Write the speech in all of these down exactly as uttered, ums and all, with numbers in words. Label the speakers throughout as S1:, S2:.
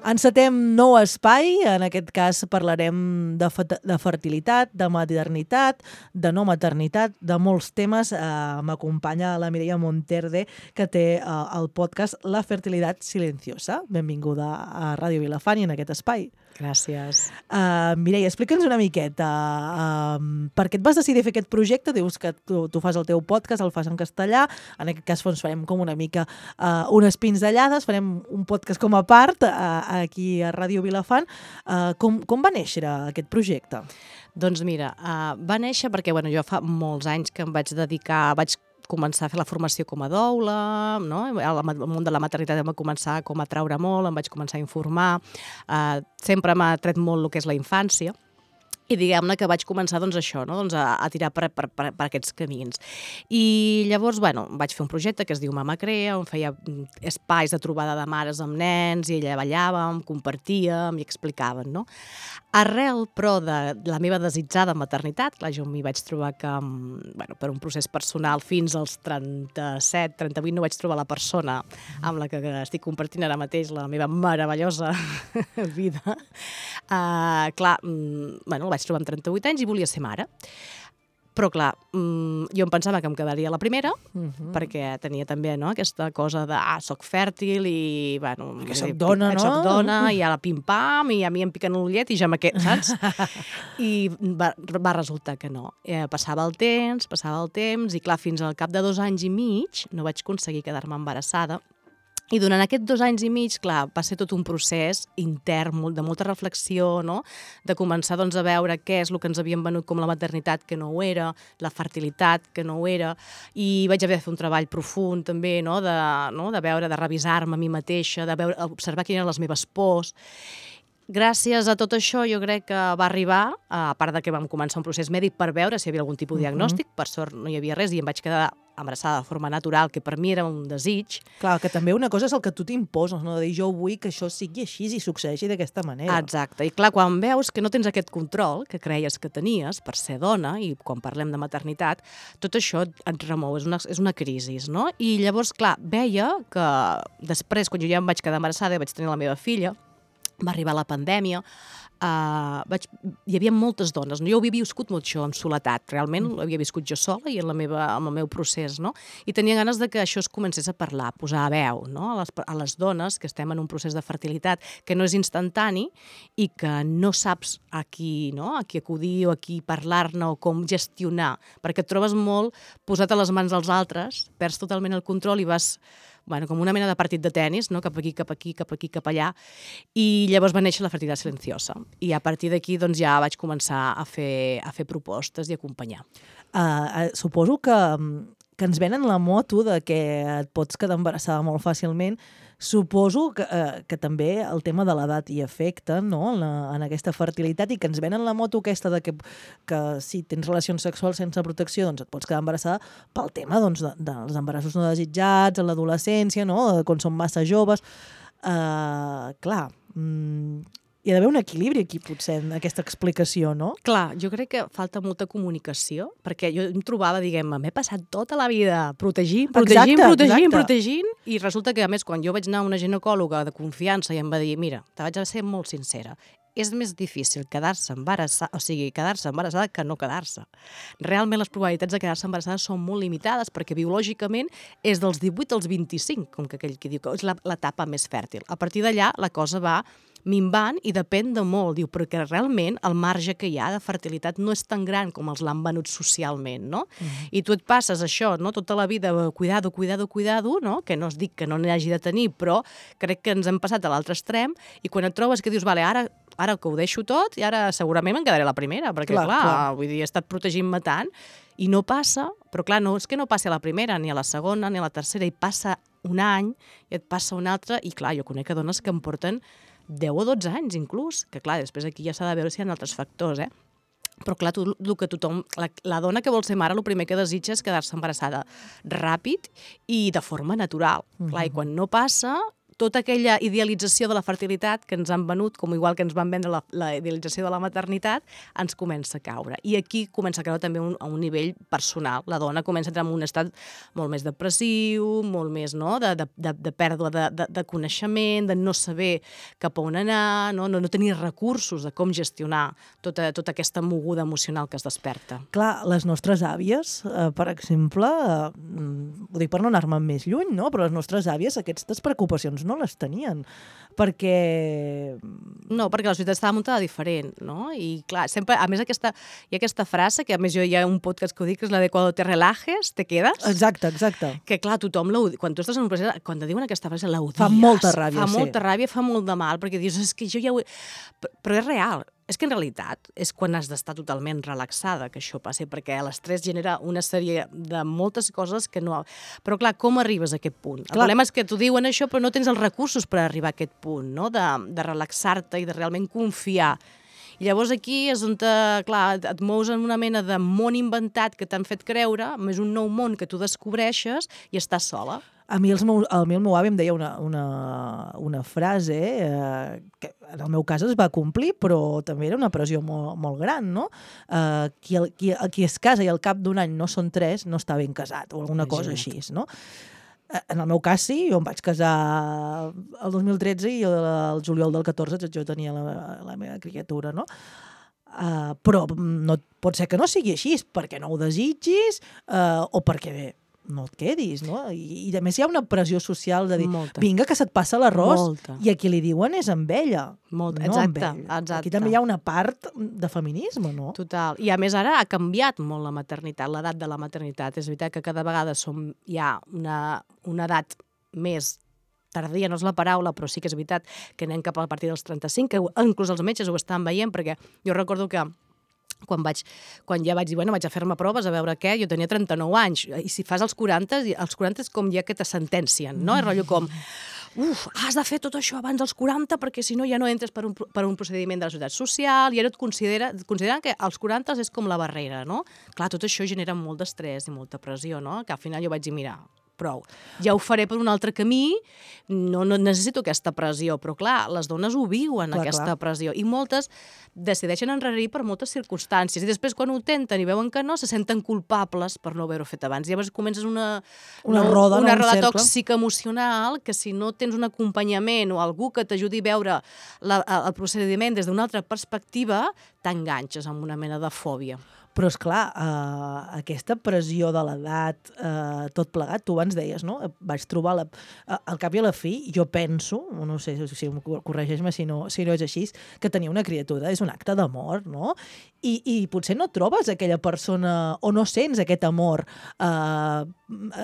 S1: Encetem nou espai, en aquest cas parlarem de, de fertilitat, de maternitat, de no maternitat, de molts temes. Eh, M'acompanya la Mireia Monterde, que té eh, el podcast La fertilitat silenciosa. Benvinguda a Ràdio Vilafant i en aquest espai.
S2: Gràcies.
S1: Uh, Mireia, explica'ns una miqueta. Uh, per què et vas decidir fer aquest projecte? Dius que tu, tu fas el teu podcast, el fas en castellà. En aquest cas doncs, farem com una mica uh, unes pinzellades, farem un podcast com a part uh, aquí a Ràdio Vilafant. Uh, com, com va néixer aquest projecte?
S2: Doncs mira, uh, va néixer perquè bueno, jo fa molts anys que em vaig dedicar, vaig començar a fer la formació com a doula, no? El món de la maternitat em va començar com a atraure molt, em vaig començar a informar, uh, sempre m'ha atret molt el que és la infància, i diguem-ne que vaig començar doncs, això, no? doncs, a, a tirar per, per, per, per aquests camins. I llavors bueno, vaig fer un projecte que es diu Mama Crea, on feia espais de trobada de mares amb nens, i allà ballàvem, compartíem i explicaven. No? Arrel, però, de la meva desitjada maternitat, clar, jo m'hi vaig trobar que, bueno, per un procés personal, fins als trenta-set, trenta-vuit, no vaig trobar la persona amb la que estic compartint ara mateix la meva meravellosa vida. Uh, clar, bueno, el vaig trobar amb trenta-vuit anys i volia ser mare. Però, clar, jo em pensava que em quedaria la primera, uh-huh. perquè tenia també no, aquesta cosa de, ah, soc fèrtil i, bueno...
S1: Que soc dona, no?
S2: Soc dona, i a la pim-pam, i a mi em piquen l'ullet i ja me quedo, saps? I va, va resultar que no. Eh, passava el temps, passava el temps, i clar, fins al cap de dos anys i mig no vaig aconseguir quedar-me embarassada. I durant aquests dos anys i mig, clar, va ser tot un procés intern, de molta reflexió, no? De començar doncs, a veure què és el que ens havien venut com la maternitat, que no ho era, la fertilitat, que no ho era, i vaig haver de fer un treball profund també, no? De, no? de veure, de revisar-me a mi mateixa, de veure, observar quines eren les meves pors. Gràcies a tot això, jo crec que va arribar, a part de que vam començar un procés mèdic per veure si hi havia algun tipus de diagnòstic, uh-huh. per sort no hi havia res i em vaig quedar embarassada de forma natural, que per mi era un desig.
S1: Clar, que també una cosa és el que tu t'imposes, no? De dir, jo vull que això sigui així i succeeixi d'aquesta manera.
S2: Exacte, i clar, quan veus que no tens aquest control que creies que tenies per ser dona, i quan parlem de maternitat, tot això et remou, és una, és una crisi, no? I llavors, clar, veia que després, quan jo ja em vaig quedar embarassada i vaig tenir la meva filla, va arribar la pandèmia, uh, vaig, hi havia moltes dones, no? Jo ho havia viscut molt això, en soledat, realment ho havia viscut jo sola i en, la meva, en el meu procés, no? I tenia ganes de que això es comencés a parlar, a posar a veu, no? a, les, a les dones que estem en un procés de fertilitat que no és instantani i que no saps a qui, no? a qui acudir o a qui parlar-ne o com gestionar, perquè et trobes molt posat a les mans dels altres, perds totalment el control i vas... Bueno, com una mena de partit de tennis, no? cap aquí, cap aquí, cap aquí, cap allà, i llavors va néixer la fertilitat silenciosa. I a partir d'aquí doncs, ja vaig començar a fer, a fer propostes i acompanyar.
S1: Uh, uh, suposo que, que ens venen la moto de que et pots quedar embarassada molt fàcilment. Suposo que, uh, que també el tema de l'edat hi afecta, no? en, la, en aquesta fertilitat, i que ens venen la moto aquesta de que, que si tens relacions sexuals sense protecció doncs et pots quedar embarassada pel tema doncs, de, dels embarassos no desitjats, en l'adolescència, no? quan són massa joves. Uh, clar, mm, hi ha d'haver un equilibri aquí, potser, en aquesta explicació, no?
S2: Clar, jo crec que falta molta comunicació, perquè jo em trobava, diguem, m'he passat tota la vida protegint, protegint,
S1: exacte,
S2: protegint,
S1: exacte.
S2: protegint, i resulta que, a més, quan jo vaig anar a una ginecòloga de confiança i em va dir, mira, te vaig a ser molt sincera, és més difícil quedar-se embarassada, o sigui, quedar-se embarassada que no quedar-se. Realment les probabilitats de quedar-se embarassada són molt limitades perquè biològicament és dels divuit als vint-i-cinc, com que aquell que diu que és l'etapa més fèrtil. A partir d'allà la cosa va minvant i depèn de molt, diu, perquè realment el marge que hi ha de fertilitat no és tan gran com els l'han venut socialment, no? Mm. I tu et passes això, no?, tota la vida, cuidado, cuidado, cuidado, no?, que no es dic que no n'hi hagi de tenir, però crec que ens hem passat a l'altre extrem, i quan et trobes que dius, vale, ara, ara que ho deixo tot, i ara segurament me'n quedaré la primera, perquè clar, clar, clar. vull dir, he estat protegint-me tant, i no passa, però clar, no és que no passi a la primera, ni a la segona, ni a la tercera, i passa un any, i et passa un altre, i clar, jo conec dones que em porten deu o dotze anys, inclús, que clar, després aquí ja s'ha de veure si hi ha altres factors, eh? Però clar, tu, el que tothom, la, la dona que vol ser mare, el primer que desitja és quedar-se embarassada ràpid i de forma natural. Uh-huh. Clar, i quan no passa, tota aquella idealització de la fertilitat que ens han venut, com igual que ens van vendre la, la idealització de la maternitat, ens comença a caure. I aquí comença a caure també un, a un nivell personal. La dona comença a entrar en un estat molt més depressiu, molt més no? de, de, de, de pèrdua de, de, de coneixement, de no saber cap a on anar, no? No, no tenir recursos de com gestionar tota, tota aquesta moguda emocional que es desperta.
S1: Clar, les nostres àvies, eh, per exemple, eh, ho dic per no anar-me més lluny, no? Però les nostres àvies aquestes preocupacions no les tenien, perquè...
S2: No, perquè la societat estava muntada diferent, no? I clar, sempre, a més aquesta, hi ha aquesta frase, que a més jo hi ha un podcast que ho dic, que és la de "Cuando te relajes, te quedas".
S1: Exacte, exacte.
S2: Que clar, tothom, quan tu estàs en un procés, quan te diuen aquesta frase, l'odies.
S1: Fa molta ràbia,
S2: fa
S1: sí.
S2: Fa molta ràbia, fa molt de mal, perquè dius, és que jo ja ho he... Però és real. És que en realitat és quan has d'estar totalment relaxada que això passi, perquè l'estrès genera una sèrie de moltes coses que no... Però clar, com arribes a aquest punt? El clar. problema és que t'ho diuen això, però no tens els recursos per arribar a aquest punt, no? de, de relaxar-te i de realment confiar. I llavors aquí és on, te, clar, et mous en una mena de món inventat que t'han fet creure, més un nou món que tu descobreixes i estàs sola.
S1: A mi, els meu, a mi el meu avi em deia una, una, una frase eh, que en el meu cas es va complir, però també era una pressió molt, molt gran, no? Eh, qui, qui, qui es casa i al cap d'un any no són tres, no està ben casat, o alguna cosa així, no? En el meu cas sí, jo em vaig casar el dos mil tretze i el juliol del catorze jo tenia la, la meva criatura, no? Uh, però no, pot ser que no sigui així, perquè no ho desitgis uh, o perquè bé, no et quedis, no? I, i a més hi ha una pressió social de dir, Molta. vinga, que se't passa l'arròs, i a qui li diuen és amb ella,
S2: Molta.
S1: no
S2: Exacte,
S1: amb ell.
S2: exacte.
S1: Aquí també hi ha una part de feminisme, no?
S2: Total. I a més ara ha canviat molt la maternitat, l'edat de la maternitat. És veritat que cada vegada som ja una, una edat més tardia, no és la paraula, però sí que és veritat que anem cap a partir dels trenta-cinc, que inclús els metges ho estan veient, perquè jo recordo que Quan, vaig, quan ja vaig dir, bueno, vaig a fer-me proves a veure què, jo tenia trenta-nou anys, i si fas els quaranta, els quaranta és com ja que te sentencien, no? És rotllo com, uf, has de fer tot això abans dels quaranta perquè si no ja no entres per un, per un procediment de la Seguretat Social, i ara et considera, consideren que als quaranta és com la barrera, no? Clar, tot això genera molt d'estrès i molta pressió, no? Que al final jo vaig dir, mira, prou. Ja ho faré per un altre camí, no, no necessito aquesta pressió, però clar, les dones ho viuen, clar, aquesta clar. pressió, i moltes decideixen enrarir per moltes circumstàncies, i després quan ho tenten i veuen que no, se senten culpables per no haver-ho fet abans. I llavors comences una,
S1: una
S2: no,
S1: roda,
S2: una
S1: no,
S2: roda
S1: un
S2: tòxica emocional que si no tens un acompanyament o algú que t'ajudi a veure la, el procediment des d'una altra perspectiva, t'enganxes amb una mena de fòbia.
S1: Però, esclar, eh, aquesta pressió de l'edat, eh, tot plegat, tu abans deies, no? Vaig trobar, la, al cap i a la fi, jo penso, no sé si corregeix-me si, no, si no és així, que tenir una criatura és un acte d'amor, no? I, I potser no trobes aquella persona, o no sents aquest amor eh,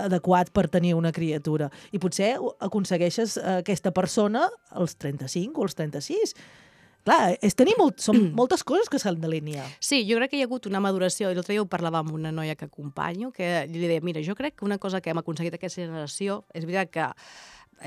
S1: adequat per tenir una criatura. I potser aconsegueixes aquesta persona als trenta-cinc o als trenta-sis. Clar, és tenir molt, són moltes coses que s'han d'alinear.
S2: Sí, jo crec que hi ha hagut una maduració, i l'altre dia ho parlava amb una noia que acompanyo, que li deia, mira, jo crec que una cosa que hem aconseguit aquesta generació, és veritat que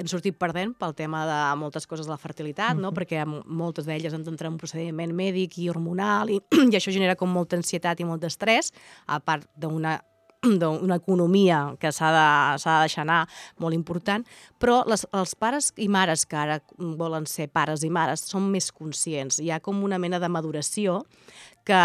S2: hem sortit perdent pel tema de moltes coses de la fertilitat, no? Uh-huh. Perquè moltes d'elles han d'entrar en un procediment mèdic i hormonal, i, i això genera com molta ansietat i molt d'estrès, a part d'una d'una economia que s'ha de, s'ha de deixar anar molt important, però les, els pares i mares que ara volen ser pares i mares són més conscients. Hi ha com una mena de maduració que,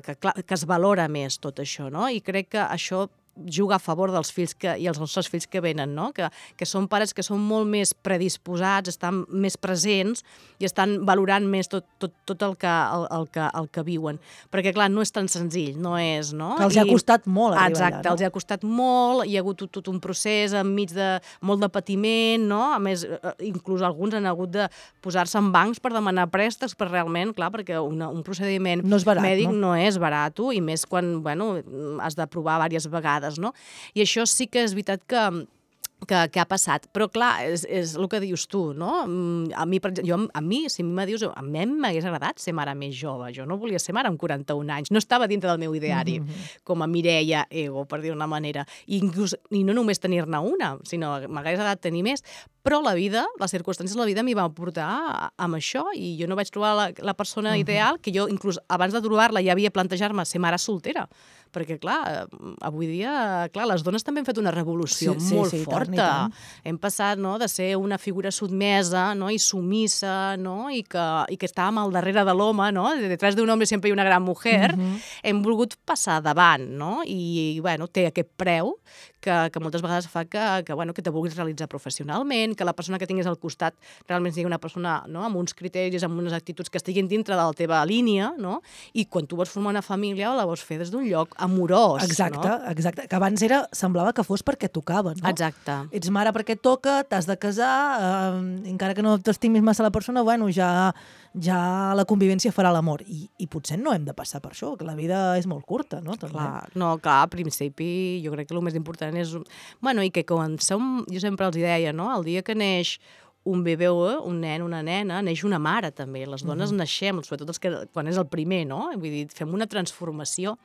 S2: que, que es valora més tot això, no? I crec que això juga a favor dels fills que, i els nostres fills que venen, no? Que, que són pares que són molt més predisposats, estan més presents i estan valorant més tot, tot, tot el, que, el, el, que, el que viuen. Perquè, clar, no és tan senzill, no és, no?
S1: Que els I, ha costat molt arribar
S2: exacte,
S1: allà, no?
S2: Els ha costat molt, hi ha hagut tot, tot un procés enmig de molt de patiment, no? A més, inclús alguns han hagut de posar-se en bancs per demanar préstecs, per realment, clar, perquè una, un procediment
S1: no és barat,
S2: mèdic
S1: no?
S2: no és barat, i més quan, bueno, has de provar diverses vegades. No? I això sí que és veritat que, que, que ha passat. Però, clar, és, és el que dius tu, no? A mi, per exemple, jo, a mi, si a mi me dius, a mi m'hagués agradat ser mare més jove. Jo no volia ser mare amb quaranta-un anys. No estava dintre del meu ideari, mm-hmm. com a Mireia Ego, per dir d'una manera. I, inclús, i no només tenir-ne una, sinó m'hagués agradat tenir més. Però la vida, les circumstàncies de la vida m'hi van portar amb això, i jo no vaig trobar la, la persona uh-huh. ideal, que jo inclús abans de trobar-la ja havia plantejat-me ser mare soltera, perquè, clar, avui dia, clar, les dones també han fet una revolució
S1: sí,
S2: molt
S1: sí, sí,
S2: forta.
S1: tant, tant.
S2: Hem passat, no?, de ser una figura sotmesa, no?, i sumissa, no?, i que, i que estàvem al darrere de l'home, no?, detrás d'un home sempre hi ha una gran mujer,
S1: Mhm.
S2: hem volgut passar davant, no?, i, bueno, té aquest preu que, que moltes vegades fa que, que, bueno, que te vulguis realitzar professionalment, que la persona que tinguis al costat realment sigui una persona, no?, amb uns criteris, amb unes actituds que estiguin dintre de la teva línia, no?, i quan tu vols formar una família la vols fer des d'un lloc amorós,
S1: Exacte,
S2: no?
S1: exacte. Que abans era, semblava que fos perquè tocava, no?
S2: Exacte.
S1: Ets mare perquè et toca, t'has de casar, eh, encara que no t'estimis massa la persona, bueno, ja, ja la convivència farà l'amor. I, I potser no hem de passar per això, que la vida és molt curta, no? També.
S2: Clar, no, clar, al principi jo crec que el més important és... Bueno, i que quan som... Jo sempre els deia, no?, el dia que neix un bebè, un nen, una nena, neix una mare també. Les dones uh-huh. naixem, sobretot els que, quan és el primer, no? Vull dir, fem una transformació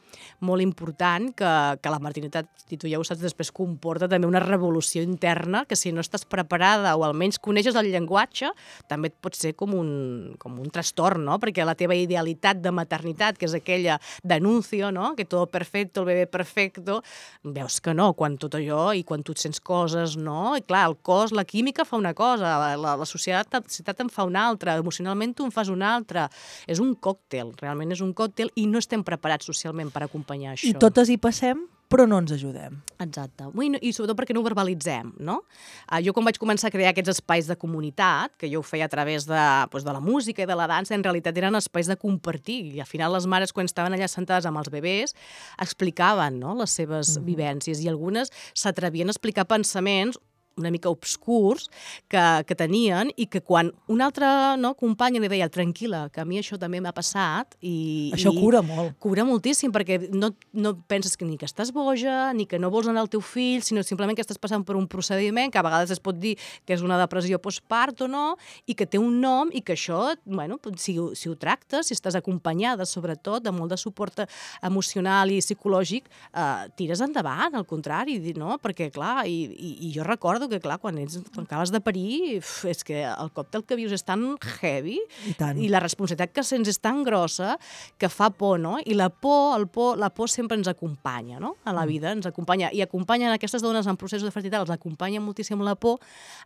S2: molt important que, que la maternitat, i tu ja ho saps, després comporta també una revolució interna que si no estàs preparada o almenys coneixes el llenguatge, també et pot ser com un, com un trastorn, no? Perquè la teva idealitat de maternitat, que és aquella d'anuncio, no?, que tot perfecto, el bebè perfecto, veus que no, quan tot allò i quan tu et sents coses, no? I clar, el cos, la química fa una cosa, La, la societat, la societat en fa una altra, emocionalment tu en fas una altra. És un còctel, realment és un còctel i no estem preparats socialment per acompanyar això.
S1: I totes hi passem, però no ens ajudem.
S2: Exacte. I, I sobretot perquè no ho verbalitzem, no? Uh, jo quan vaig començar a crear aquests espais de comunitat, que jo ho feia a través de, doncs, de la música i de la dansa, en realitat eren espais de compartir. I al final les mares, quan estaven allà sentades amb els bebès, explicaven, no?, les seves mm-hmm. vivències i algunes s'atrevien a explicar pensaments una mica obscurs que, que tenien i que quan una altra, no, companya li deia tranquil·la, que a mi això també m'ha passat i...
S1: Això
S2: i
S1: cura molt.
S2: Cura moltíssim, perquè no, no penses que ni que estàs boja, ni que no vols anar al teu fill, sinó simplement que estàs passant per un procediment que a vegades es pot dir que és una depressió postpart o no, i que té un nom i que això, bueno, si, si ho tractes, si estàs acompanyada, sobretot, de molt de suport emocional i psicològic, eh, tires endavant, al contrari, no? Perquè, clar, i, i, i jo recordo que, clar, quan, ets, quan acabes de parir, uf, és que el còctel que vius és tan heavy
S1: I, tant.
S2: i la responsabilitat que sents és tan grossa que fa por, no? I la por, el por, la por sempre ens acompanya, no?, a la vida, ens acompanya. I acompanyen aquestes dones en processos de fertilitat, els acompanya moltíssim la por,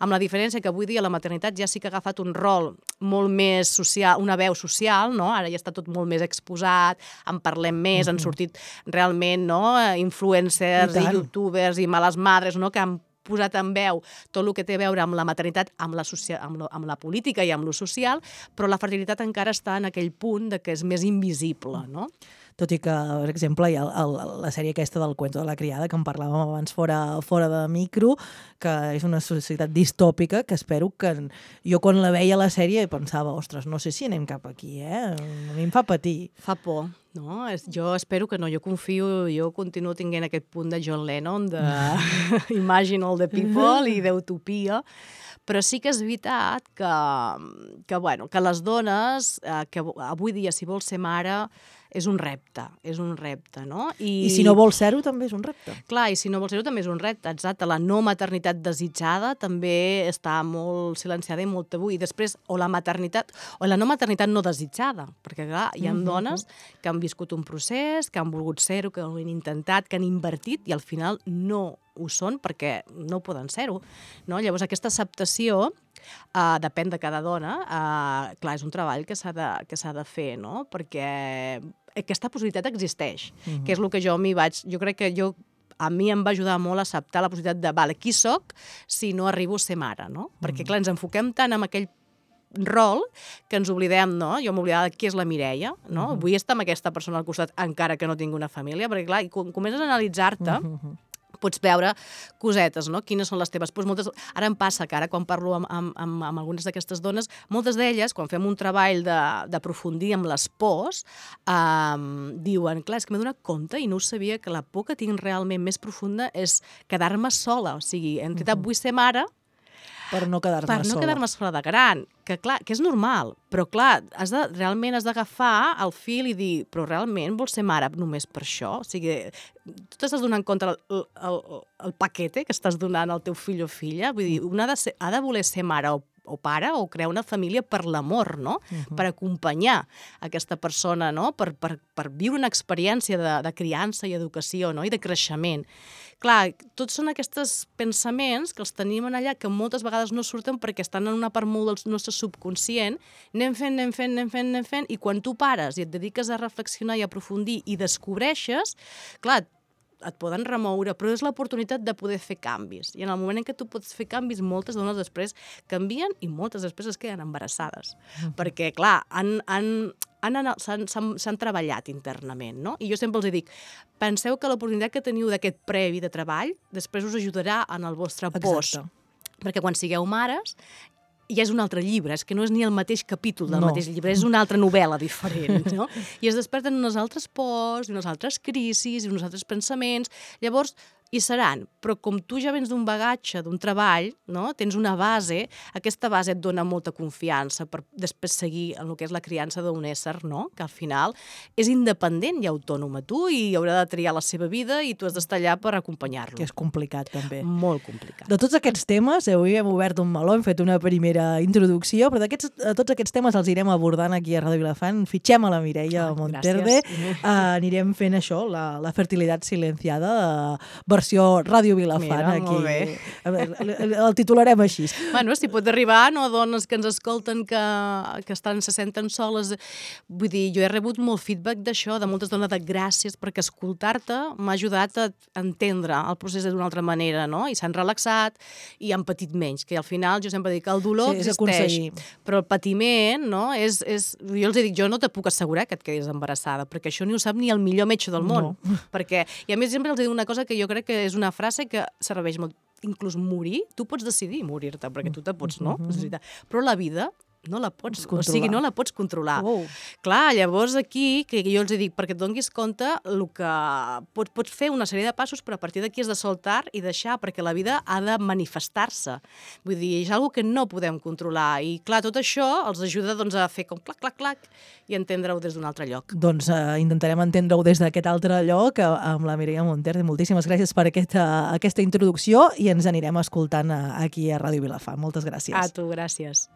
S2: amb la diferència que avui dia la maternitat ja sí que ha agafat un rol molt més social, una veu social, no? Ara ja està tot molt més exposat, en parlem més, mm-hmm. han sortit realment, no?, influencers i, i youtubers i males madres, no?, que han posat en veu tot el que té a veure amb la maternitat, amb la, socia amb, lo, amb la política i amb lo social, però la fertilitat encara està en aquell punt de que és més invisible, no?
S1: Tot i que, per exemple, hi ha el, el, la sèrie aquesta del Cuento de la criada, que en parlàvem abans fora, fora de micro, que és una societat distòpica, que espero que... Jo quan la veia a la sèrie pensava, ostres, no sé si anem cap aquí, eh? A mi em fa patir.
S2: Fa por, no? Jo espero que no, jo confio, jo continuo tinguent aquest punt de John Lennon, de Imagine all the people i d'utopia, però sí que és veritat que, que, bueno, que les dones, eh, que avui dia, si vols ser mare, és un repte, és un repte, no?
S1: I, I si no vols ser-ho, també és un repte.
S2: Clar, i si no vols ser-ho, també és un repte, exacte. La no maternitat desitjada també està molt silenciada i molt tabú. I després, o la maternitat, o la no maternitat no desitjada, perquè, clar, hi ha mm-hmm. dones que han viscut un procés, que han volgut ser-ho, que ho han intentat, que han invertit, i al final no ho són perquè no poden ser-ho, no? Llavors, aquesta acceptació Uh, depèn de cada dona. Uh, clar, és un treball que s'ha de, que s'ha de fer, no? Perquè aquesta possibilitat existeix, mm-hmm. que és el que jo m'hi vaig... Jo crec que jo a mi em va ajudar molt a acceptar la possibilitat de, vale, qui soc si no arribo a ser mare, no? Mm-hmm. Perquè, clar, ens enfoquem tant en aquell rol que ens oblidem, no? Jo m'oblidava de qui és la Mireia, no? Mm-hmm. Vull estar amb aquesta persona al costat encara que no tingui una família, perquè, clar, quan comences a analitzar-te, mm-hmm. pots veure cosetes, no? Quines són les teves pors. Moltes... Ara em passa que ara quan parlo amb, amb, amb, amb algunes d'aquestes dones, moltes d'elles, quan fem un treball d'aprofundir amb les pors, um, diuen, clar, és que m'he donat compte i no ho sabia, que la por que tinc realment més profunda és quedar-me sola. O sigui, en realitat uh-huh. vull ser mare
S1: per no quedar-me
S2: per no
S1: sola.
S2: quedar-me sola de gran, que clar, que és normal, però clar, has de, realment has d'agafar el fil i dir, però realment vols ser mare només per això? O sigui, tu t'estàs donant compte el, el, el paquete que estàs donant al teu fill o filla? Vull dir, una ha de, ser, ha de voler ser mare o o pare o crear una família per l'amor, no? Uh-huh. Per acompanyar aquesta persona, no? Per, per, per viure una experiència de, de criança i educació, no? I de creixement. Clar, tots són aquests pensaments que els tenim en allà que moltes vegades no surten perquè estan en una part molt del nostre subconscient, anem fent, anem fent, anem fent, anem fent, i quan tu pares i et dediques a reflexionar i a aprofundir i descobreixes, clar, et poden remoure, però és l'oportunitat de poder fer canvis. I en el moment en què tu pots fer canvis, moltes dones després canvien i moltes després es queden embarassades. Mm-hmm. Perquè, clar, han, han, han, s'han, s'han, s'han treballat internament, no? I jo sempre els dic, penseu que l'oportunitat que teniu d'aquest previ de treball després us ajudarà en el vostre post. Exacte. Perquè quan sigueu mares ja és un altre llibre, és que no és ni el mateix capítol del no. mateix llibre, és una altra novel·la diferent, no? I es desperten unes altres pors, unes altres crisis, uns altres pensaments. Llavors, hi seran, però com tu ja vens d'un bagatge, d'un treball, no? Tens una base, aquesta base et dona molta confiança per després seguir en el que és la criança d'un ésser, no? Que al final és independent i autònom a tu i haurà de triar la seva vida i tu has d'estar allà per acompanyar-lo.
S1: Que és complicat, també.
S2: Molt complicat.
S1: De tots aquests temes, avui hem obert un meló, hem fet una primera introducció, però d'aquests, tots aquests temes els irem abordant aquí a Ràdio Vilafant. Fitxem a la Mireia ah, Monterde, uh, anirem fent això, la, la fertilitat silenciada, uh, versió Ràdio Vilafant.
S2: Mira,
S1: aquí.
S2: Molt bé.
S1: El, el, el titularem així.
S2: Bueno, si pot arribar, no, dones que ens escolten que, que estan, se senten soles. Vull dir, jo he rebut molt feedback d'això, de moltes dones de gràcies, perquè escoltar-te m'ha ajudat a entendre el procés d'una altra manera, no? I s'han relaxat i han patit menys, que al final jo sempre dic que el dolor sí, existeix, però el patiment, no? És, és, jo els dic, jo no te puc assegurar que et quedis embarassada, perquè això ni ho sap ni el millor metge del món. No. Perquè, i a més sempre els dic una cosa que jo crec que és una frase que serveix molt. Inclús morir, tu pots decidir morir-te, perquè tu te pots, no? Mm-hmm. Però la vida no la pots, o sigui, no la pots controlar. Oh. Clar, llavors aquí, que jo els dic, perquè et donis compte el que pots, pots fer una sèrie de passos, però a partir d'aquí has de soltar i deixar, perquè la vida ha de manifestar-se. Vull dir, és una cosa que no podem controlar. I clar, tot això els ajuda doncs, a fer com clac, clac, clac, i entendre-ho des d'un altre lloc.
S1: Doncs uh, intentarem entendre-ho des d'aquest altre lloc, uh, amb la Mireia Monterde. Moltíssimes gràcies per aquesta, aquesta introducció i ens anirem escoltant uh, aquí a Ràdio Vilafant. Moltes gràcies.
S2: A tu, gràcies.